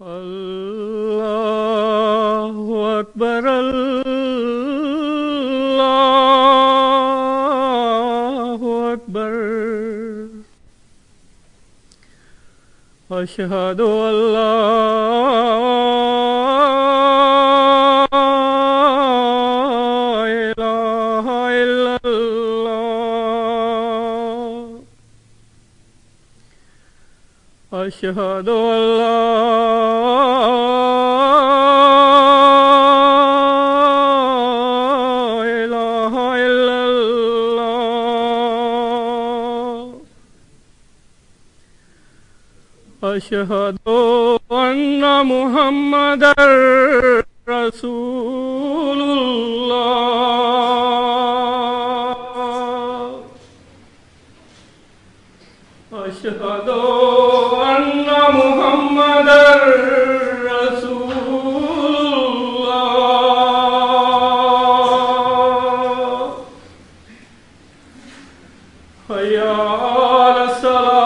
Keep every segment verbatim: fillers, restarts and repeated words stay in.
Allahu Akbar, Allahu Akbar. Ashhadu an la ilaha illallah. Ashhadu an la ashhadu anna Muhammadar Rasulullah. Ashhadu anna Muhammadar Rasulullah. Hayya ala salat.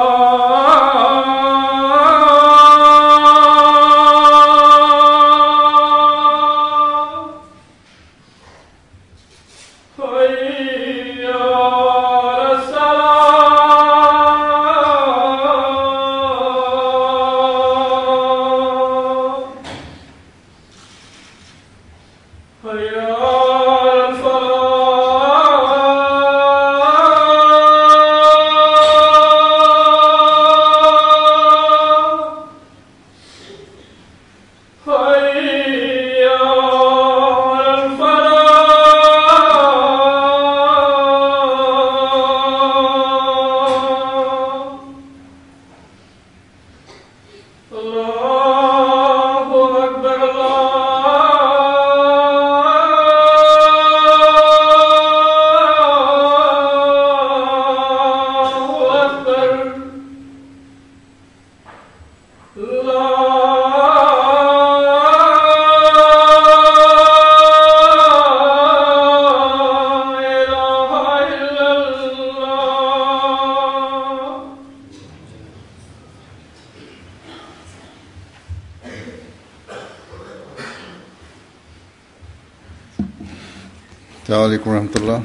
Assalamu alaikum warahmatullah.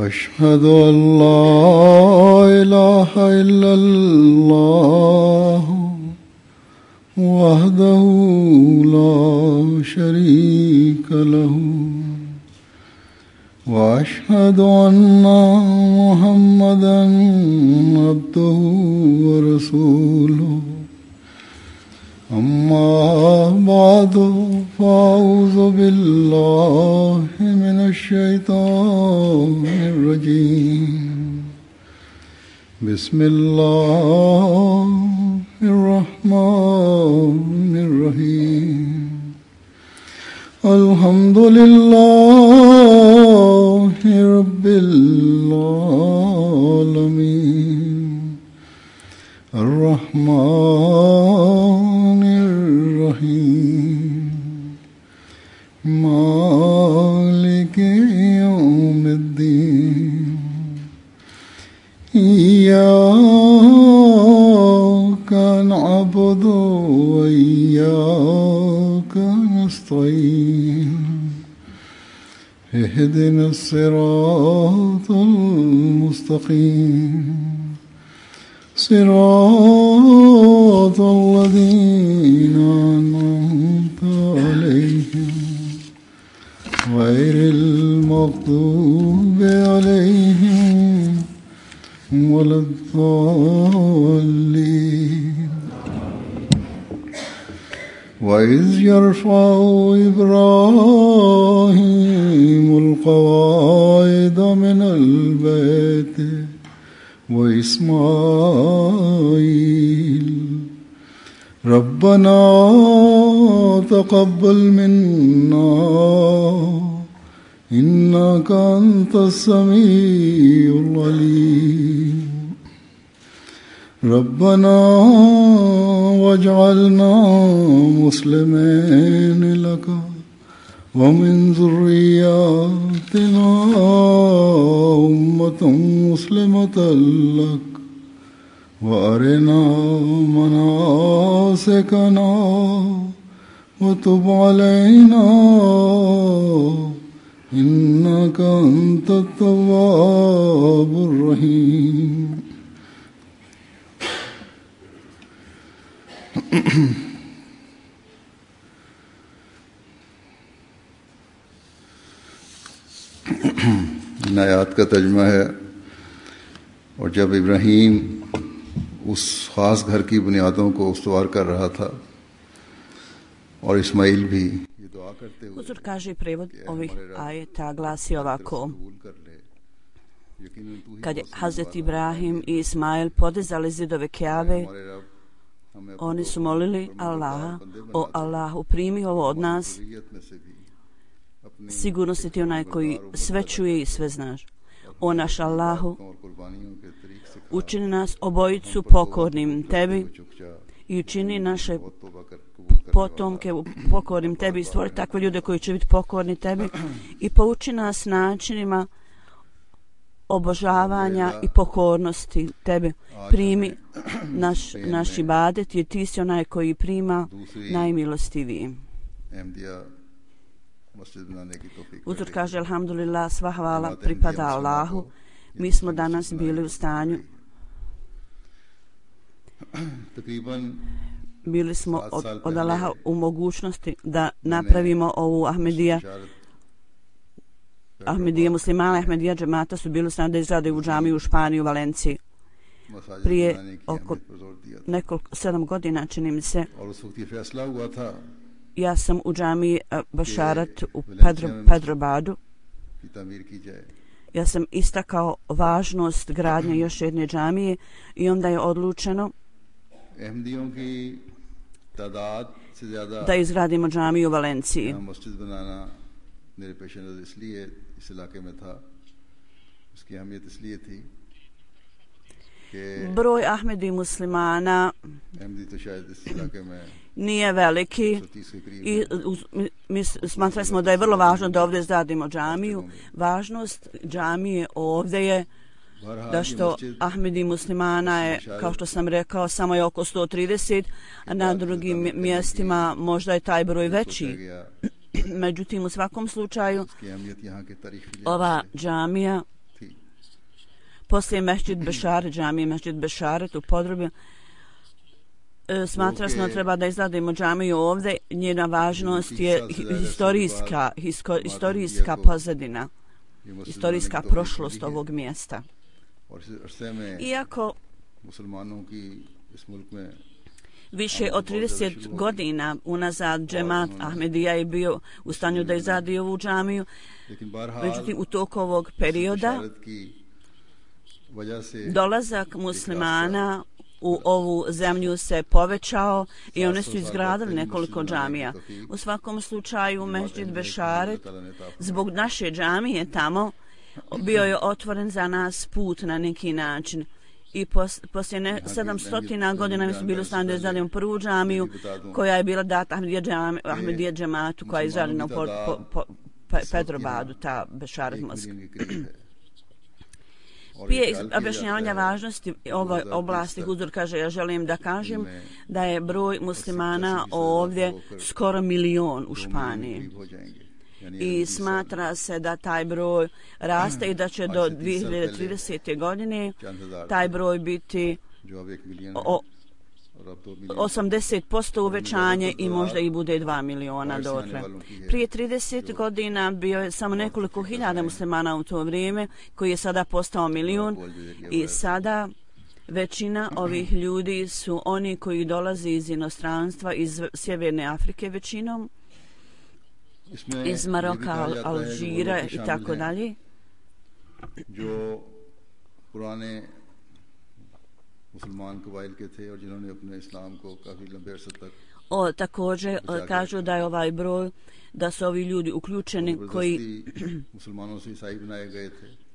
Ashhadu an la ilaha illallah wahdahu la sharika lahu wa ashhadu anna Muhammadan abduhu wa rasuluhu. Amma ba'du fa'udhu billahi minash shaitanir rajim. Bismillahir rahmanir rahim. Alhamdulillahi rabbil alamin. Ar-Rahmanir Rahim. Maliki yawmiddin. Iyyaka na'budu wa iyyaka nasta'in. اهدنا الصراط المستقيم صراط الذين أنعمت عليهم غير المغضوب عليهم ولا الضالين. وإذ يرفع إبراهيم القواعد من البيت وإسماعيل ربنا تقبل منا إنك أنت السميع العليم. ربنا واجعلنا مسلمين لك ومن ذرياتنا أمة مسلمة لك وأرنا مناسكنا وتب علينا إنك أنت التواب الرحيم. इन आयात का तर्जुमा है, और जब इब्राहीम उस ख़ास घर की बुनियादों को उस्तवार कर रहा था और इस्माइल भी ये दुआ करते हुए, Uzor kaže prevod ovih ajeta glasi ovako: kad je Hazret Ibrahim i Ismail podizali zidove Kjabe, oni su molili Allaha: o Allahu, primi ovo od nas, sigurno si ti onaj koji sve čuje i sve znaš. O naš Allahu, učini nas obojicu pokornim tebi i učini naše potomke pokornim tebi i stvori takve ljude koji će biti pokorni tebi i pouči nas načinima obožavanja i pokornosti tebi. Primi naš, naš ibadet, jer ti si onaj koji prima najmilostiviji. Uzor kaže: alhamdulillah, sva hvala pripada Allahu. Mi smo danas bili u stanju, bili smo od, od Allaha u mogućnosti da napravimo ovu Ahmedija. Ahmedija muslimana, Ahmedija džemata su bili u stanju da izrade u džamiju u Španiji, u Valenciji. Prije oko nekoliko, sedam godina, čini mi se, ja sam u džamiji Bašarat u Pedro, Pedrobadu. Ja sam istakao važnost gradnje još jedne džamije i onda je odlučeno da izgradimo džamiju u Valenciji. Broj Ahmedi muslimana nije veliki i mi smatrali smo da je vrlo važno da ovdje izgradimo džamiju. Važnost džamije ovdje je da što Ahmedi muslimana je, kao što sam rekao, samo je oko sto trideset, a na drugim mjestima možda je taj broj veći. Međutim, u svakom slučaju ova džamija poslije Mešćid Bešaret, džamije Mešćid Bešaret u Podrubi, smatrali smo da treba da izgradimo džamiju ovdje. Njena važnost je historijska, hisko, historijska pozadina, historijska prošlost ovog mjesta. Iako više od trideset godina unazad džemat Ahmedija je bio u stanju da izradi ovu džamiju, međutim u toku ovog perioda dolazak muslimana u ovu zemlju se povećao i one su izgradili nekoliko džamija. U svakom slučaju Mešćid Bešaret zbog naše džamije tamo bio je otvoren za nas put na neki način. I pos, poslije ne, sedamsto godina mi su bili u stanju da izradimo prvu džamiju koja je bila data Ahmedija, džam, Ahmedija džematu koja je izradena u po, po, po, pe, Pedrobadu, ta Bešaret Mosk. Prije objašnjavanja važnosti ove oblasti, Huzur kaže: ja želim da kažem da je broj muslimana ovdje skoro milion u Španiji. I smatra se da taj broj raste i da će do dvije hiljade tridesete. godine taj broj biti o, osamdeset posto uvećanje i možda i bude dva miliona dotle. Prije trideset godina bio je samo nekoliko hiljada muslimana u to vrijeme, koji je sada postao milion, i sada većina ovih ljudi su oni koji dolaze iz inostranstva, iz Sjeverne Afrike većinom, iz Maroka, Alžira i tako dalje. O, također kažu da je ovaj broj, da su ovi ljudi uključeni koji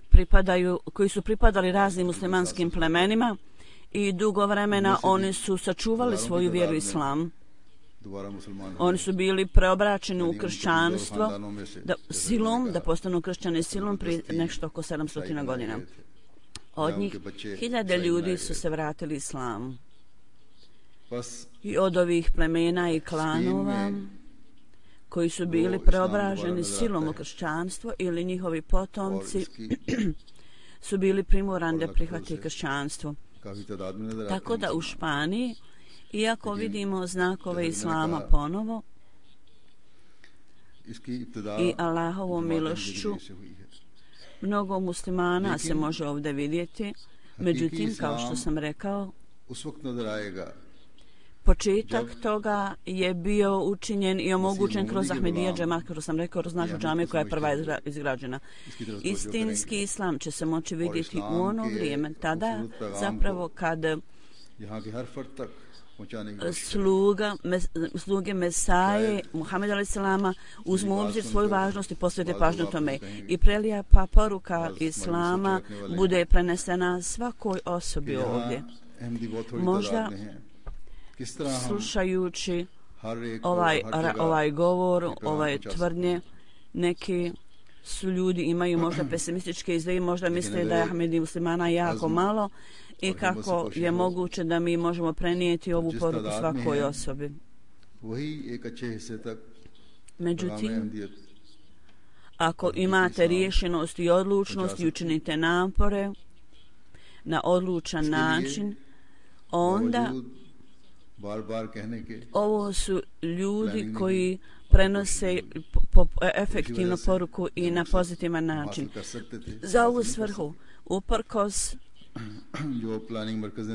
pripadaju, koji su pripadali raznim muslimanskim plemenima i dugo vremena oni su sačuvali svoju vjeru islam. Oni su bili preobraćeni u kršćanstvo da, silom, da postanu kršćani silom prije nešto oko sedamsto godina. Od njih hiljade ljudi su se vratili islamu. I od ovih plemena i klanova koji su bili preobraženi silom u kršćanstvo ili njihovi potomci su bili primorani da prihvati kršćanstvo. Tako da u Španiji, iako vidimo znakove islama ponovo i Allahovom milošću, mnogo muslimana se može ovdje vidjeti, međutim, kao što sam rekao, početak toga je bio učinjen i omogućen kroz Ahmedija džemat, kao sam rekao, kroz našu džamiju koja je prva izgrađena. Istinski islam će se moći vidjeti u ono vrijeme, tada zapravo kad sluga, mes, sluge Mesaje, Muhammed alaih salama, uzmu u obzir svoju važnost i posvete pažnju tome. I prelija pa poruka islama bude prenesena svakoj osobi ovdje. Možda slušajući ovaj, ovaj govor, ovaj tvrdnje, neki su ljudi imaju možda pesimističke izdeje, možda misle da je Ahmedi muslimana jako malo i kako je moguće da mi možemo prenijeti ovu poruku svakoj osobi. Međutim, ako imate riješenost i odlučnost i učinite napore na odlučan način, onda ovo su ljudi koji prenose po, po, efektivnu poruku i na pozitivan način. Za ovu svrhu, uprkos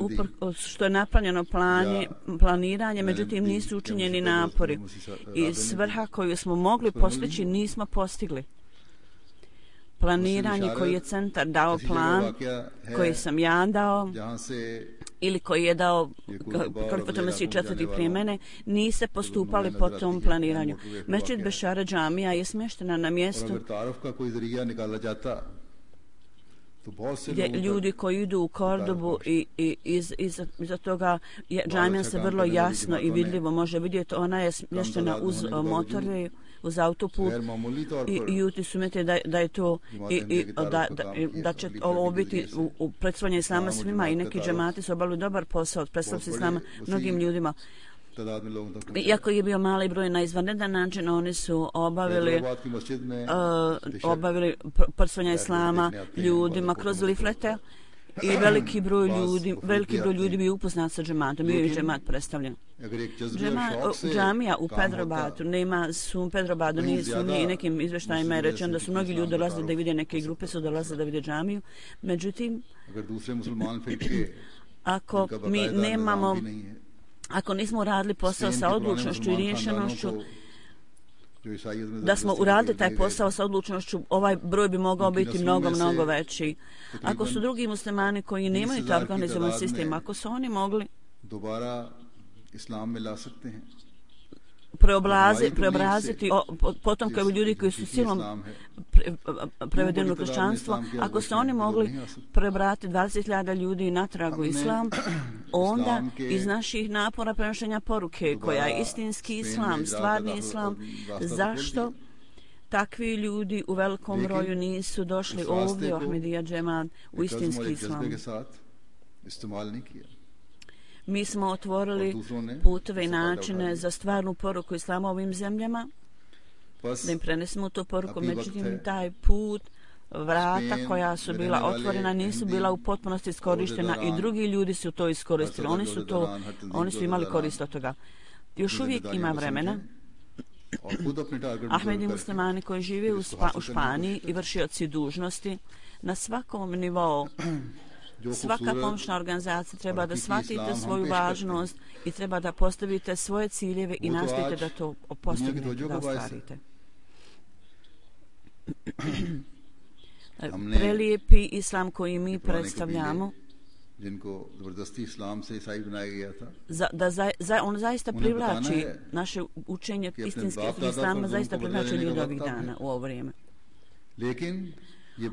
uprkos što je napravljeno planje, planiranje, međutim nisu učinjeni napori i svrha koju smo mogli postići nismo postigli. Planiranje koji je centar dao plan, koji sam ja dao, ili koji je dao Kalifat Mesih četvrti prije mene, niste postupali po tom planiranju. Mesdžid Bešara džamija je smještena na mjestu gdje ljudi koji idu u Kordobu i, i iz, iz, iza toga je, džamija se vrlo jasno i vidljivo može vidjeti. Ona je smještena uz motorve, uz autoput i, i ljudi su mete da, da je to i, i, da, da, da će ovo biti u, u predstavljanju islama svima i neki džemati su obavili dobar posao, predstavljaju islama mnogim ljudima. Iako je bio mali broj na izvanredan način, oni su obavili, uh, obavili predstavljanje islama ljudima kroz liflete i veliki broj ljudi, veliki broj ljudi bi upoznat sa džematom, bio je džemat predstavljen. Džema, džamija u Pedrobatu, nema su Pedrobatu, nisu ni nekim izveštajima je rečeno da su mnogi ljudi dolazili da vide, neke grupe su dolazili da vide džamiju. Međutim, ako mi nemamo, ako nismo uradili posao sa odlučnošću i rješenošću, da smo uradili taj posao sa odlučnošću, ovaj broj bi mogao biti mnogo, mnogo veći. Ako su drugi muslimani koji nemaju taj organizovan sistem, ako su oni mogli preobrazi, preobraziti potomke ljudi koji su silom pre, prevedeni u kršćanstvo, ako su oni mogli preobratiti dvadeset hiljada ljudi natrag u islam, onda iz naših napora prenošenja poruke koja je istinski islam, stvarni islam, zašto takvi ljudi u velikom broju nisu došli ovdje u Ahmedija džemat u istinski islam? Mi smo otvorili puteve i načine za stvarnu poruku islama ovim zemljama, da im prenesemo tu poruku, međutim taj put, vrata koja su bila otvorena nisu bila u potpunosti iskorištena i drugi ljudi su to iskoristili. Oni su to, oni su imali korist od toga. Još uvijek ima vremena. Ahmedi muslimani koji žive u, Spa, u Španiji i vršioci dužnosti na svakom nivou, svaka pomoćna organizacija treba da shvatite svoju važnost i treba da postavite svoje ciljeve i nastojite da to postignete, da ostvarite. Prelijepi islam koji mi predstavljamo, za, da za, za, on zaista privlači naše učenje istinske islama, zaista privlači ljudi ovih dana u ovo vrijeme.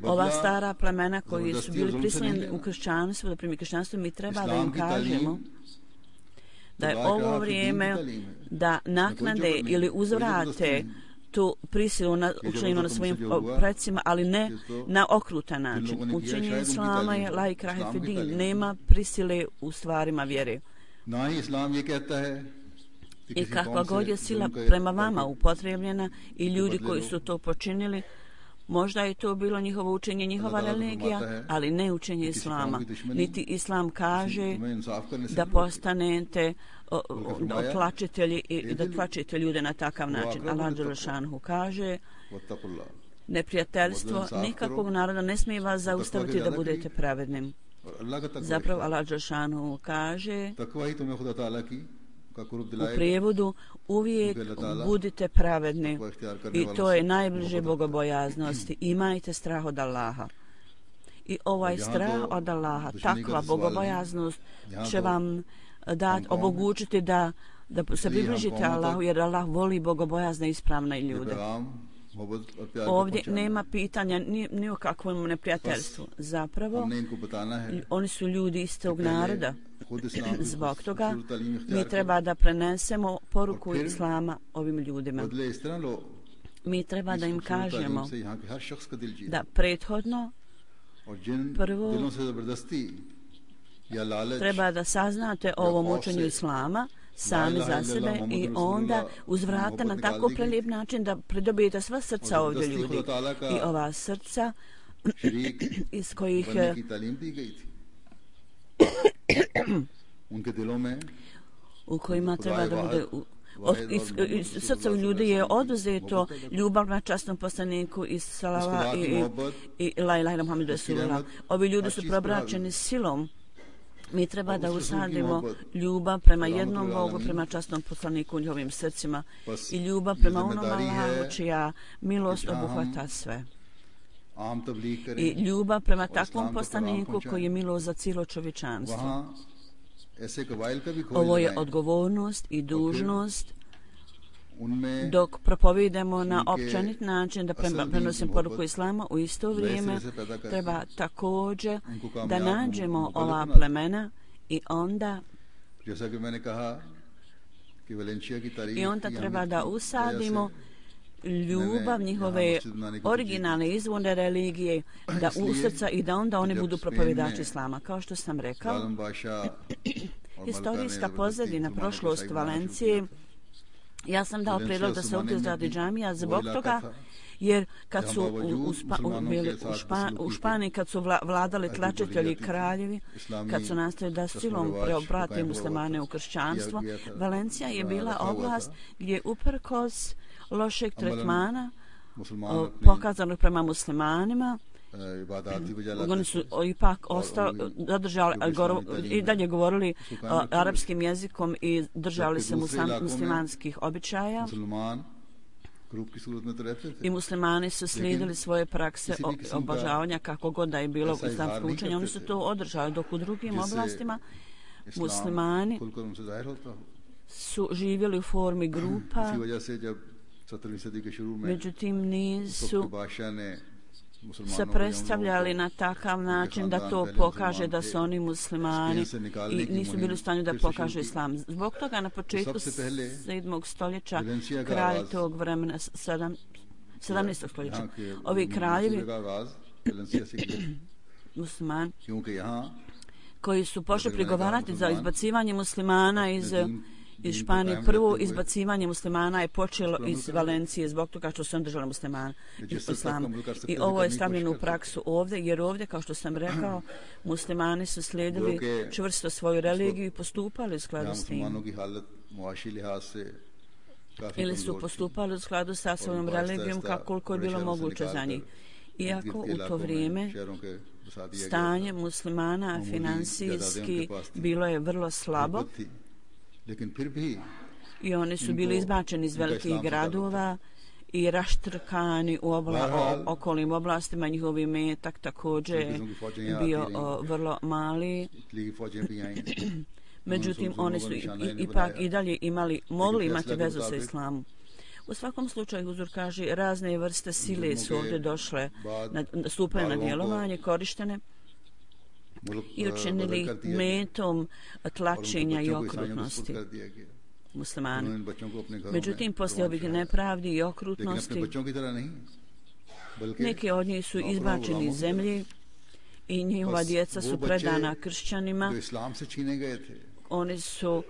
Ova stara plemena koji su bili prisiljeni u kršćanstvu, da primi kršćanstvo, mi treba da im kažemo da je ovo vrijeme da naknade ili uzvrate tu prisilu na učenjima na svojim precima, ali ne na okrutan način. Učenje islama je la ikrahe fi din, nema prisile u stvarima vjere. I kakva god je sila prema vama upotrebljena i ljudi koji su to počinili, možda je to bilo njihovo učenje, njihova religija, ali ne učenje islama. Niti islam kaže da postanete tlačitelji i da tlačite ljude na takav način. Allah dželešanhu kaže: neprijateljstvo nikakvog naroda ne smije vas zaustaviti da budete pravednim. Zapravo Allah dželešanhu kaže u prijevodu: uvijek budite pravedni, i to je najbliže bogobojaznosti. Imajte strah od Allaha. I ovaj strah od Allaha, takva bogobojaznost će vam dati, omogućiti da, da se približite Allahu, jer Allah voli bogobojazne i ispravne ljude. Ovdje nema pitanja ni, ni o kakvom neprijateljstvu. Zapravo, oni su ljudi istog naroda. Zbog toga mi treba da prenesemo poruku islama ovim ljudima. Mi treba da im kažemo da prethodno prvo treba da saznate o ovom učenju islama sami za sebe i onda uzvrate na tako prelijep način da pridobijete sva srca ovdje ljudi. I ova srca iz kojih u kojima treba da bude od, iz, iz srca ljudi je oduzeto ljubav na časnom poslaniku i salava i, i, i la ilaha illa Muhammedu Rasulullah. Ovi ljudi su probračeni silom. Mi treba da usadimo ljubav prema jednom Bogu, prema časnom poslaniku u njihovim srcima i ljubav prema onom Allahu čija milost obuhvata sve. I ljubav prema takvom poslaniku koji je milost za cijelo čovječanstvo. Ovo je odgovornost i dužnost dok propovidemo na općenit način da prenosim poruku islama. U isto vrijeme treba također da nađemo ova plemena i onda i onda treba da usadimo ljubav njihove originalne izvorne religije da u srca i da onda oni budu propovidači islama. Kao što sam rekao, historijska pozadina, prošlost Valencije, ja sam dao prijedlog da se ovdje izradi džamija zbog toga, jer kad su u, u, Spa, u, bili u, Špa, u Španiji, kad su vla, vladali tlačitelji kraljevi, kad su nastavili da silom preobrate muslimane u kršćanstvo, Valencija je bila oblast gdje uprkos lošeg tretmana pokazanog prema muslimanima, oni su ipak ostali, zadržali i dalje govorili o, arapskim jezikom i držali se muslim, muslimanskih običaja. I muslimani su slijedili svoje prakse obožavanja kako god da je bilo islamsko učenje. Oni su to održali, dok u drugim oblastima muslimani su živjeli u formi grupa, međutim nisu se predstavljali na takav način da to pokaže da su oni muslimani i nisu bili u stanju da pokažu islam. Zbog toga na početku sedmog stoljeća kralj tog vremena, sedamnaestog stoljeća, ovi kraljevi muslimani koji su pošli prigovarati za izbacivanje muslimana iz iz Španije. Prvo izbacivanje muslimana je počelo iz Valencije zbog toga što su držali muslimana islama. I ovo je stavljeno u praksu ovdje, jer ovdje, kao što sam rekao, muslimani su slijedili čvrsto svoju religiju i postupali u skladu s tim. Ili su postupali u skladu sa svojom religijom kako koliko je bilo moguće za njih. Iako u to vrijeme stanje muslimana financijski bilo je vrlo slabo, i oni su bili izbačeni iz velikih gradova i raštrkani u obla, o, okolnim oblastima. Njihovi metak također bio o, vrlo mali. Međutim, oni su i, ipak i dalje imali, mogli imati vezu sa islamom. U svakom slučaju, Huzur kaže, razne vrste sile su ovdje došle, na, stupaju na djelovanje, korištene. i učinili ih metom tlačenja i okrutnosti muslimana. Međutim, poslije ovih nepravdi i okrutnosti, neki od njih su izbačeni iz zemlje i njihova djeca su predana kršćanima. Oni su,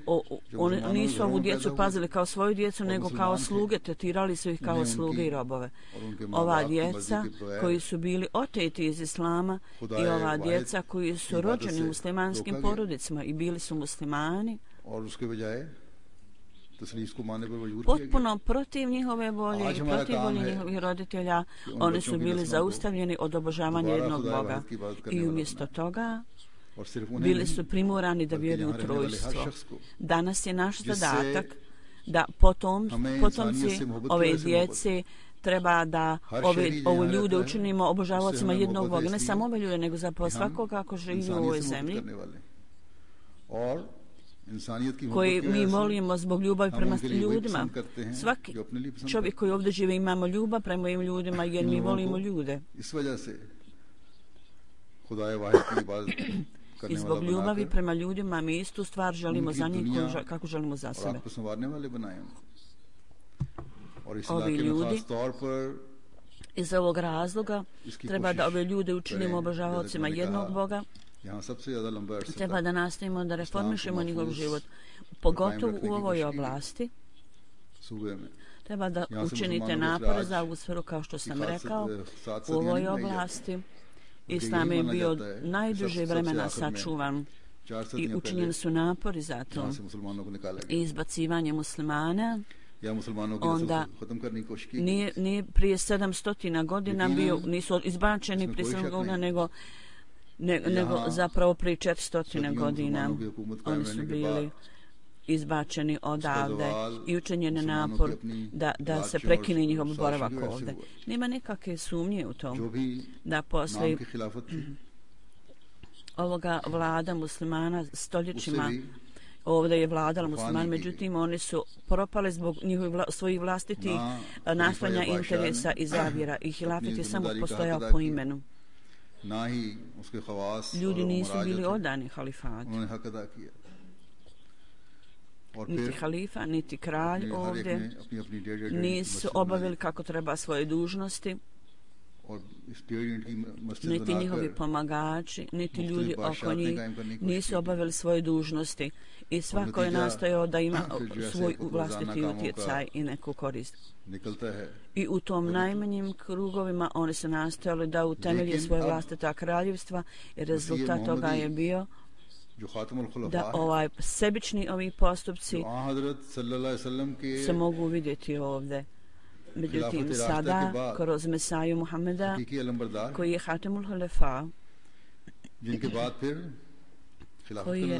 o, oni nisu ovu djecu pazili kao svoju djecu, nego kao sluge, tretirali su ih kao sluge i robove. Ova djeca koji su bili oteti iz islama i ova djeca koji su rođeni muslimanskim porodicama i bili su muslimani, potpuno protiv njihove volje i protiv volje njihovih roditelja, oni su bili zaustavljeni od obožavanja jednog Boga i umjesto toga bili su primorani da vjeruju u trojstvo. Danas je naš zadatak da potom, potomci ove djece treba da ove, ove ljude učinimo obožavacima jednog Boga. Ne samo ove ljude, nego zapravo svakoga ako živi u ovoj zemlji, koji mi molimo zbog ljubavi prema ljudima. Svaki čovjek koji ovdje žive imamo ljubav prema ovim ljudima jer mi volimo ljude. I zbog ljubavi prema ljudima mi istu stvar želimo za njih kako želimo za sebe. Ovi ljudi iz ovog razloga treba da ove ljude učinimo obožavaocima jednog Boga. Treba da nastavimo da reformišemo njihov život, pogotovo u ovoj oblasti. Treba da učinite napore za ovu sferu, kao što sam rekao, u ovoj oblasti. Islam je bio najduže vremena sačuvan i učinjeni su napori za to. I izbacivanje muslimana onda nije, nije prije sedamsto godina bio, nisu izbačeni prije sedamsto godina, nego Ne, nego zapravo prije četiristo godina oni su bili izbačeni odavde i učinjen je napor da, da se prekine njihov boravak ovdje. Nema nekakve sumnje u tom da posle ovoga vlada muslimana stoljećima ovdje je vladala musliman, međutim oni su propali zbog njihovih vla, svojih vlastitih nastojanja, interesa i zavjera i hilafet je samo postojao po imenu. Ljudi nisu bili odani halifatu. Niti halifa, niti kralj ovdje nisu obavili kako treba svoje dužnosti, niti njihovi pomagači, niti ljudi oko njih nisu obavili svoje dužnosti i svako je nastojao da ima svoj vlastiti utjecaj i neku korist. I u tom najmanjim krugovima oni su nastojali da utemelje svoje vlastita kraljevstva i rezultat toga je bio da ovaj sebični ovi postupci se mogu vidjeti ovdje. Međutim, sada, kroz Mesaju Muhameda, koji je Hatemul Halefa, koji je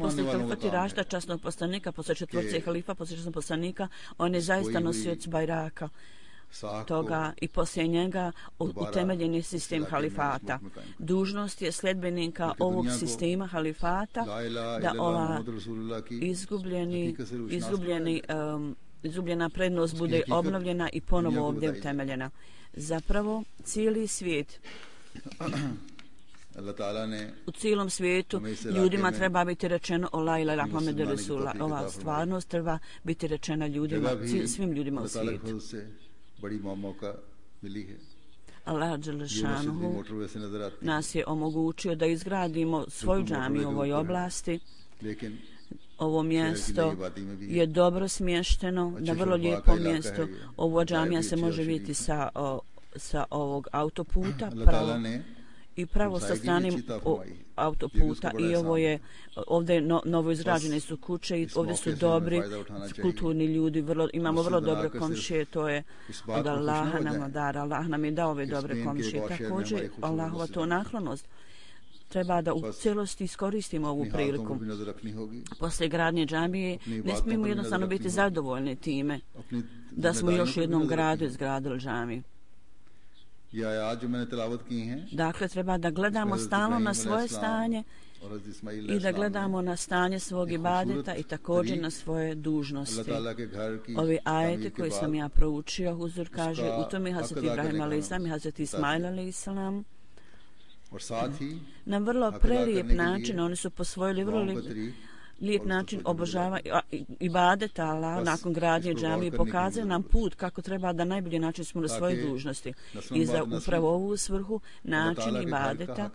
posle halifati Rašta, časnog poslanika, posle četvrce halifa, posle časnog poslanika, on je zaista nosioc bajraka toga i poslije njega utemeljen je sistem halifata. Dužnost je sljedbenika ovog sistema halifata da ova izgubljeni, izgubljeni, um, izgubljena prednost bude obnovljena i ponovo ovdje utemeljena. Zapravo, cijeli svijet, u cijelom svijetu ljudima treba biti rečeno o la ilaha Muhammed Rasulullah. Ova stvarnost treba biti rečena ljudima, svim ljudima u svijetu. Allah Đelešanuhu nas je omogućio da izgradimo svoju džamiju u ovoj oblasti. Ovo mjesto je dobro smješteno, na vrlo lijepo mjesto. Ovo džamija se može vidjeti sa, o, sa ovog autoputa pravo, i pravo sa stranim autoputa i ovo je ovdje no, novo izgrađene su kuće i ovdje su dobri kulturni ljudi, vrlo, imamo vrlo dobre komšije, to je od Allaha nam dara. Allah nam je dao ove dobre komšije. Također Allahova to naklonost treba da u cijelosti iskoristimo ovu priliku. Posle gradnje džamije ne smijemo jednostavno biti zadovoljni time da smo još u jednom gradu izgradili džamiju. ये आयत जो मैंने तिलावत की हैं, Dakle, treba da gledamo stalno na svoje stanje i da gledamo na stanje svog ibadeta i također na svoje dužnosti. Ovi ajete koje sam ja proučio, Huzur kaže, u tome Hazreti Ibrahim alejhi selam i Hazreti Ismail alejhi selam na vrlo prelijep način, oni su posvojili vrlo lijep način obožavanja ibadeta Allah nakon gradnje džamije i pokazuje nam put kako treba da najbolji način smo na svoje dužnosti. I za upravo ovu svrhu način ibadeta,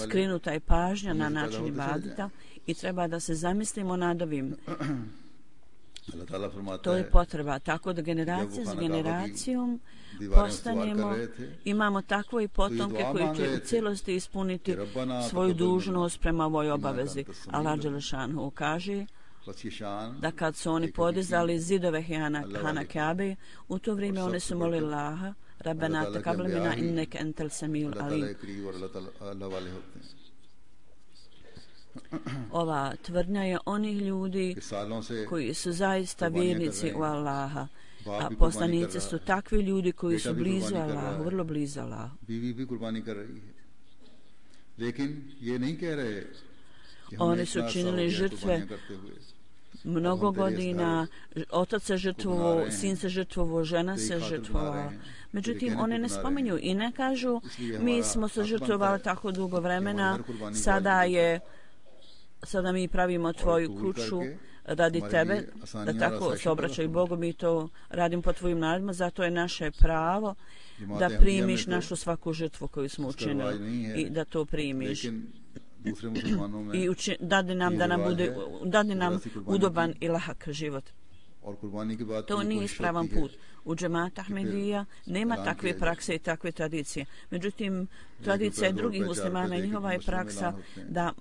skrenuta je pažnja na način ibadeta i treba da se zamislimo nad ovim. To je potreba, tako da generacija s generacijom postanemo, imamo takve potomke koji će u cijelosti ispuniti svoju dužnost prema ovoj obavezi. Allah dželešanu kaže da kad su oni podizali zidove Hana Kabe, u to vrijeme oni su molili Allaha, Rabbena taqabbal minna innaka antal samiul alim. Ova tvrdnja je onih ljudi koji su zaista vjernici u Allaha, a poslanici su takvi ljudi koji su blizu Allahu, vrlo blizu Allahu. Oni su činili žrtve mnogo godina, otac se žrtvovao, sin se žrtvovao, žena se žrtvovala. Međutim, oni ne spominju i ne kažu mi smo se žrtvovali tako dugo vremena, sada je sada mi pravimo tvoju kuću radi tebe, da tako se obraćaju Bogu, mi to radimo po tvojim naredbama, zato je naše pravo da primiš našu svaku žrtvu koju smo učinili i da to primiš. I uči, dadi nam da nam bude, dadi nam udoban i lahak život. To nije ispravan put. U džemata Ahmedija nema takve prakse i takve tradicije. Međutim, tradicija drugih muslimana i njihova je praksa da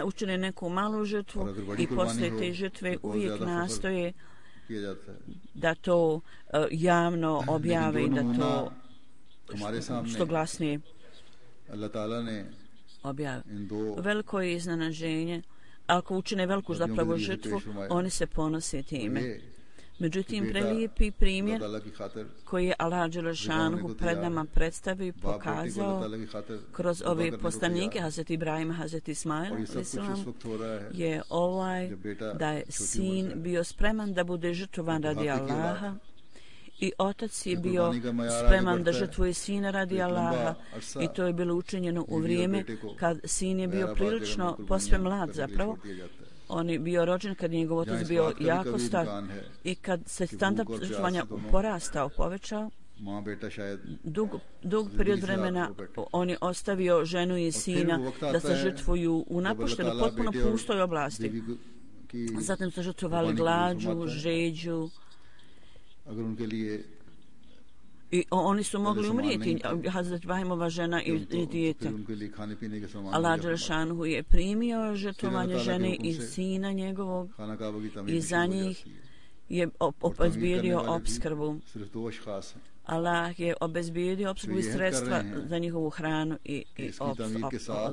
učine neku malu žrtvu i poslije te žrtve uvijek nastoje da to uh, javno objave i da to što glasnije objave. Veliko je iznenađenje. Ako učine veliku zapravo žrtvu, oni se ponose time. Međutim, prelijepi primjer koji je Allah dželešanu pred nama predstavio i pokazao kroz ove poslanike Hazreti Ibrahima, Hazreti Ismaila je ovaj da je sin bio spreman da bude žrtvovan radi Allaha i otac je bio spreman da žrtvuje sina radi Allaha i to je bilo učinjeno u vrijeme kad sin je bio prilično posve mlad zapravo. On je bio rođen kad je njegov otac bio jako star i kad se standard žrtvovanja porastao, povećao, dug, dug period vremena on je ostavio ženu i sina da se žrtvuju u napuštenoj, potpuno pustoj oblasti. Zatim su žrtvovali glađu, žeđu i oni su mogli umrijeti, Hazret Ibrahimova žena i, i dijete. Allah dželešanu je primio žrtvovanje žene i sina njegovog i za njih je obezbijedio opskrbu. Allah je obezbijedio opskrbu i sredstva za njihovu hranu i, i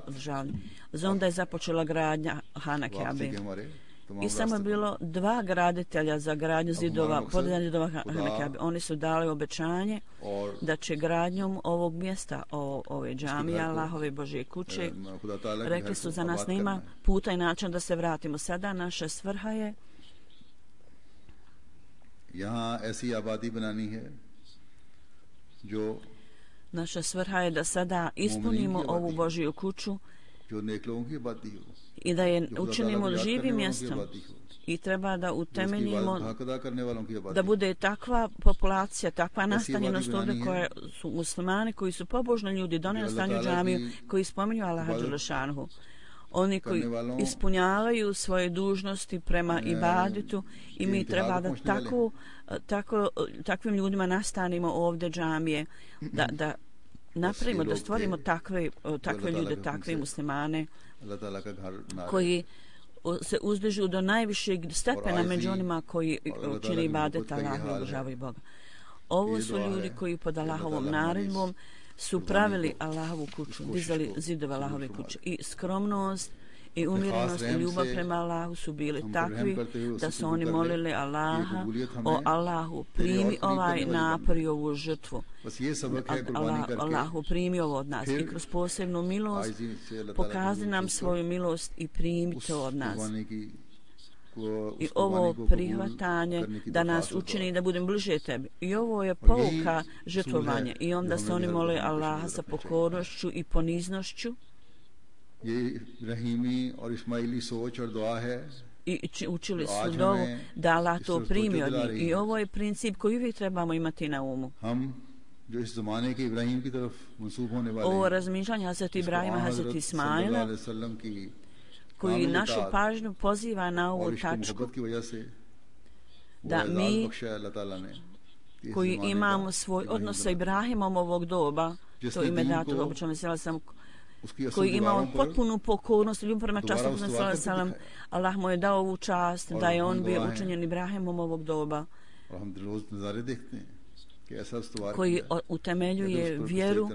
održavanje. Zonda je započela gradnja Hana Kabe. I samo je bilo dva graditelja za gradnju zidova, podizanje zidova Hana Kabe. Oni su dali obećanje da će gradnjom ovog mjesta, o, ove džamije, Allahove Božje kuće, rekli su za nas nema puta i način da se vratimo. Sada naša svrha je naša svrha je da sada ispunimo ovu Božju kuću i da je učinimo živim mjestom i treba da utemeljimo da bude takva populacija, takva nastanjenost ovdje koje su muslimani, koji su pobožni ljudi, donijeli stanju džamiju, koji spominju Allaha dželešanu. Oni koji ispunjavaju svoje dužnosti prema ibadetu i mi treba da tako, tako, takvim ljudima nastanimo ovdje džamije, da, da napravimo, da stvorimo takve, takve ljude, takve muslimane koji se uzdižu do najvišeg stepena među onima koji čini ibadet Allahu i obožavaju Boga. Ovo su ljudi koji pod Allahovom naredbom su pravili Allahovu kuću, dizali zidove Allahove kuće i skromnost i umjerenost i ljubav prema Allahu su bili takvi da su oni molili Allaha: o Allahu, primi ovaj napor i ovu žrtvu. Allah, Allahu, primi ovo od nas i kroz posebnu milost pokaži nam svoju milost i primi to od nas. I ovo prihvatanje da nas učini da budem bliže tebi. I ovo je pouka žrtvovanje. I onda se oni mole Allaha sa pokornošću i poniznošću. I učili su dovu da Allah to primi od njih. I ovo je princip koji uvijek trebamo imati na umu. Ovo razmišljanje Hazreti Ibrahima, Hazreti Ismaila, koji našu pažnju poziva na ovu tačku da mi koji imamo svoj odnos sa Ibrahimom ovog doba, to ime dato obično mesela sam, koji imamo potpunu pokornost i ljubav prema častu mesela sam, Allah mu je dao ovu čast da je on bio učinjen Ibrahimom ovog doba, koji utemeljuje vjeru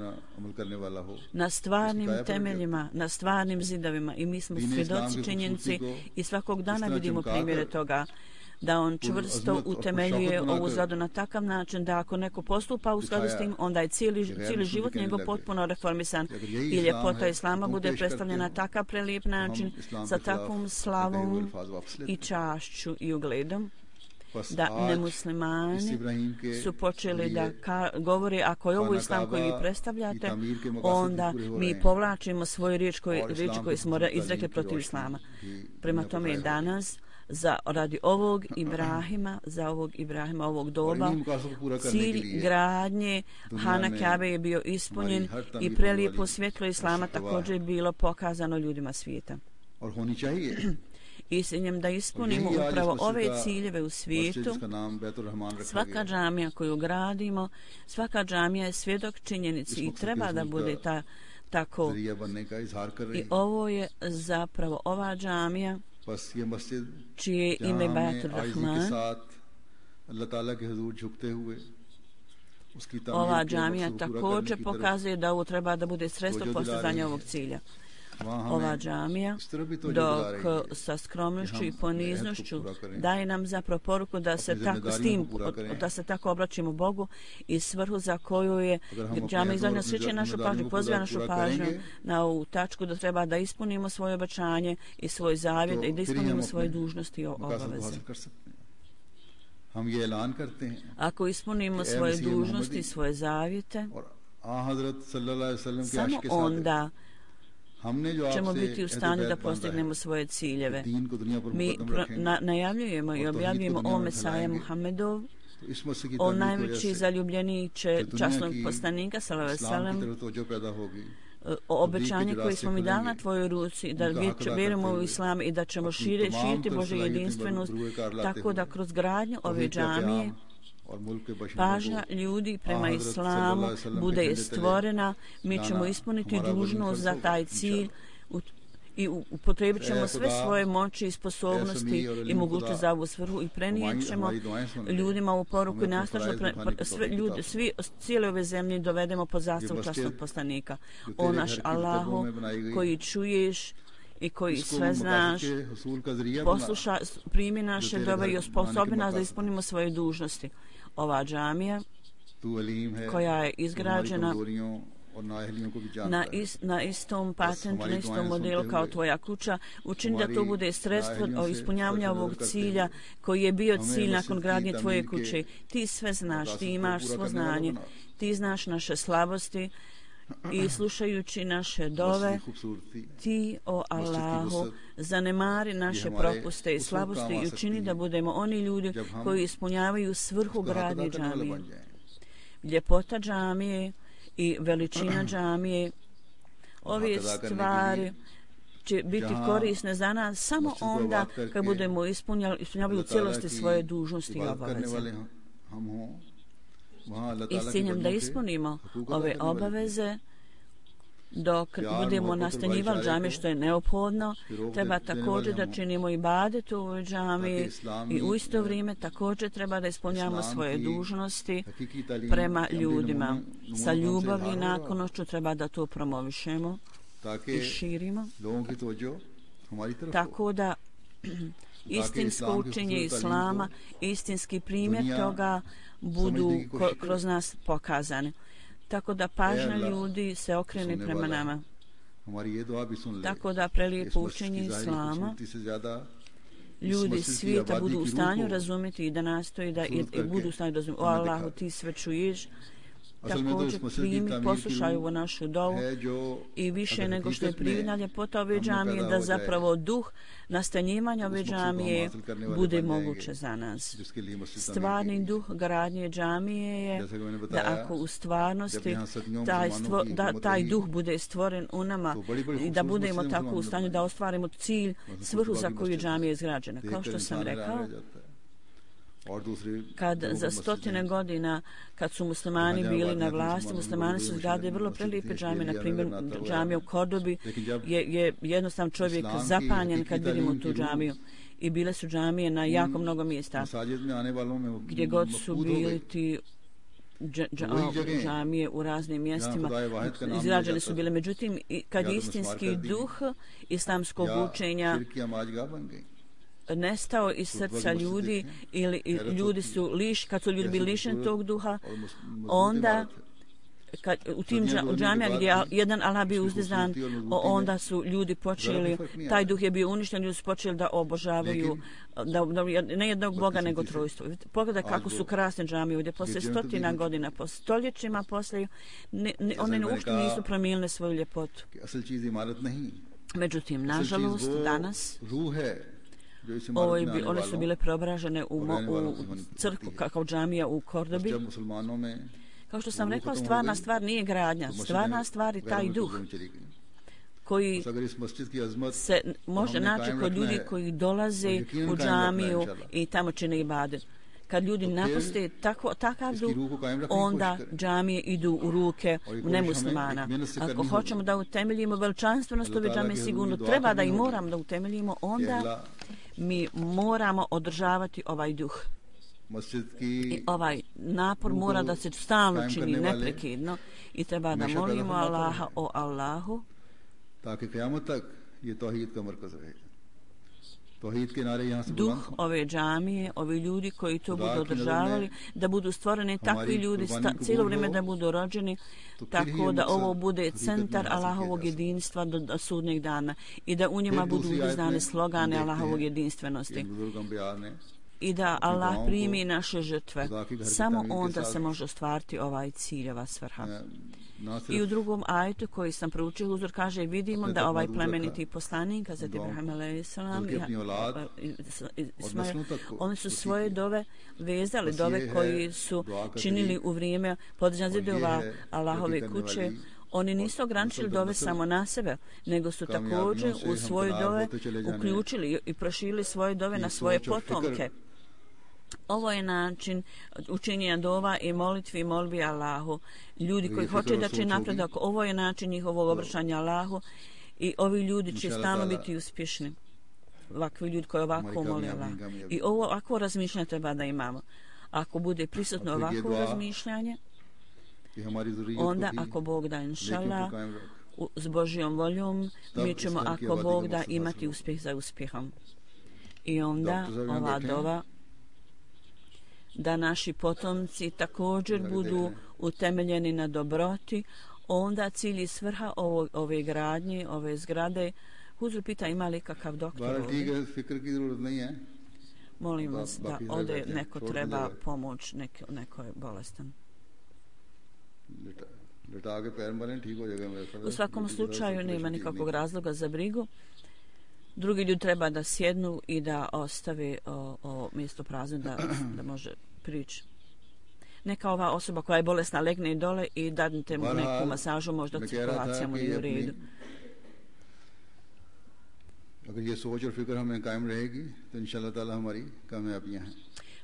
na stvarnim temeljima, na stvarnim zidovima, i mi smo svjedoci činjenici i svakog dana vidimo primjere toga da on čvrsto utemeljuje ovu zgradu na takav način da ako neko postupa u skladu s tim, onda je cijeli, cijeli život njegov potpuno reformisan i ljepota Islama bude predstavljena na takav prelijep način sa takvom slavom i čašću i ugledom da nemuslimani su počeli da ka, govori ako je ovo Islam koji vi predstavljate, onda mi povlačimo svoju riječ koju, riječ koju smo izrekli protiv Islama. Prema tome danas za radi ovog Ibrahima, za ovog Ibrahima ovog doba, cilj gradnje Hana Kabe je bio ispunjen i prelijepo svjetlo Islama također je bilo pokazano ljudima svijeta. I s njim da ispunimo upravo ove ciljeve u svijetu, svaka džamija koju gradimo, svaka džamija je svjedok činjenici i treba da bude ta, tako. I ovo je zapravo ova džamija čije ime Baitur Rahman. Ova džamija također pokazuje da ovo treba da bude sredstvo postizanja ovog cilja. Ova džamija, dok sa skromnošću i poniznošću daje nam zapravo poruku da se tako s tim, da se tako obraćimo Bogu i svrhu za koju je džamija izdana sreće našu pažnju, poziva našu pažnju na ovu tačku da treba da ispunimo svoje obećanje i svoj zavjet i da ispunimo svoje dužnosti i obaveze. Ako ispunimo svoje dužnosti i svoje zavjete, samo onda ćemo biti u stanju da postignemo svoje ciljeve. Mi na, najavljujemo i objavljujemo o Mesaje Muhammedov, o najveći zaljubljeniče časnog poslanika, sallallahu alejhi ve sellem, o obećanju koje smo mi dali na tvojoj ruci, da vjerujemo u Islam i da ćemo šire, širiti Božju jedinstvenost, tako da kroz gradnju ove džamije pažnja ljudi prema Islamu bude stvorena, mi ćemo ispuniti dužnost za taj cilj i upotrebit ćemo sve svoje moći i sposobnosti i mogućnost za ovu svrhu i prenijet ćemo ljudima u poruku i nastavno sve ljudi, svi cijele ove zemlje dovedemo pod zastavu časnog poslanika. O naš Allahu koji čuješ i koji sve znaš, posluša, primi naše dove i osposobi nas da ispunimo svoje dužnosti. Ova džamija koja je izgrađena na, is, na istom patentu, na istom modelu kao tvoja kuća, učini da to bude sredstvo o ispunjavanju ovog cilja koji je bio cilj nakon gradnje tvoje kuće. Ti sve znaš, ti imaš svo znanje, ti znaš naše slabosti i slušajući naše dove, ti, o Allahu, zanemari naše propuste i slabosti i učini da budemo oni ljudi koji ispunjavaju svrhu gradnje džamije. Ljepota džamije i veličina džamije, ove stvari će biti korisne za nas samo onda kad budemo ispunjavali u cijelosti svoje dužnosti i obaveze. I s ciljem da ispunimo ove obaveze, dok budemo nastanjivali džamije što je neophodno, treba također da činimo ibadet u ovoj džamiji i u isto vrijeme također treba da ispunjamo svoje dužnosti prema ljudima. Sa ljubavlju i naklonošću treba da to promovišemo i širimo. tako da istinsko učenje Islama, istinski primjer toga budu kroz nas pokazani. Tako da pažnja ljudi se okrene prema nama. Tako da prelijepo učenje Islama ljudi svijeta budu u stanju razumjeti i da nastoji da i, i budu u stanju razumjeti. O Allahu, ti sve čuješ. Također primi, poslušaju ovo našu dovu i više nego što je prividna ljepota ove džamije, da zapravo duh nastanjivanja ove džamije bude moguće za nas. Stvarni duh gradnje džamije je da ako u stvarnosti taj, stvo, da, taj duh bude stvoren u nama i da budemo tako u stanju da ostvarimo cilj, svrhu za koju džamija je izgrađena. Kao što sam rekao, kad za stotine godina kad su muslimani bili na vlasti, muslimani su izgradili vrlo prelijepe džamije, na primjer džamija u Kordobi je, je jednostavno čovjek zapanjen kad vidimo tu džamiju i bile su džamije na jako mnogo mjesta gdje god su bili ti dž, dž, džamije u raznim mjestima izgrađene su bile, međutim kad istinski duh islamskog učenja nestao iz srca ljudi ili ljudi su liš, kad su ljudi bili lišeni tog duha, onda kad, u tim džamijama gdje jedan Allah bio uzdizan, onda su ljudi počeli, taj duh je bio uništen, ljudi su počeli da obožavaju da, da, ne jednog Boga nego trojstvo. Pogledaj kako su krasne džamije ovdje, poslije stotina godina, po stoljećima poslije, ne, ne, one uopšte nisu promijenile svoju ljepotu. Međutim, nažalost, danas Ovo je, one su bile preobražene u, u crkvu kao džamija u Kordobi. Kao što sam rekao, stvarna stvar nije gradnja, stvarna stvar je taj duh koji se može naći kod ljudi koji dolaze u džamiju i tamo čine ibadet. Kad ljudi napuste tako, takav duh, onda džamije idu u ruke nemuslimana. Ako hoćemo da utemeljimo veličanstvenost ove džamije, sigurno treba da i moramo da utemeljimo, onda mi moramo održavati ovaj duh. I ovaj napor mora da se stalno čini, neprekidno, i treba da molimo Allaha, o Allahu, duh ove džamije, ovi ljudi koji to budu održavali, da budu stvoreni takvi ljudi cijelo vrijeme da budu rođeni, tako da ovo bude centar Allahovog jedinstva do, do sudnjeg dana i da u njima budu uznane slogane Allahovog jedinstvenosti i da Allah primi naše žrtve. Samo onda se može ostvariti ovaj cilj, ova svrha. I u drugom ajetu koji sam proučio, Huzur kaže, vidimo da ovaj plemeniti poslanik, Hazreti Ibrahim alejhi selam, oni su svoje dove vezali, dove koji su činili u vrijeme podizanja zidova Allahove kuće. Oni nisu ograničili dove samo na sebe, nego su također u svoje dove uključili i proširili svoje dove na svoje potomke. Ovo je način učinjenja dova i molitvi i molbi Allahu. Ljudi koji hoće da će napredak, ovo je način njihovog obraćanja Allahu i ovi ljudi će stalno biti uspješni. Ovakvi ljudi koji ovako moli Allah. I ovo ovako razmišljanje treba da imamo. Ako bude prisutno ovako razmišljanje, onda ako Bog da, inšallah, s Božjom voljom, mi ćemo, ako Bog da, imati uspjeh za uspjehom. I onda ova dova da naši potomci također budu utemeljeni na dobroti, onda cilj i svrha ovo, ove gradnje, ove zgrade. Huzur pita, ima li kakav doktor ovdje? Molim vas da ode, neko treba pomoć, neko, neko je bolestan. U svakom slučaju nema nikakvog razloga za brigu. Drugi ljudi treba da sjednu i da ostave o, o mjesto prazno, da, da može prići. Neka ova osoba koja je bolesna legne dole i dadnite mu neku masažu, možda cirkulacija mu nije u redu.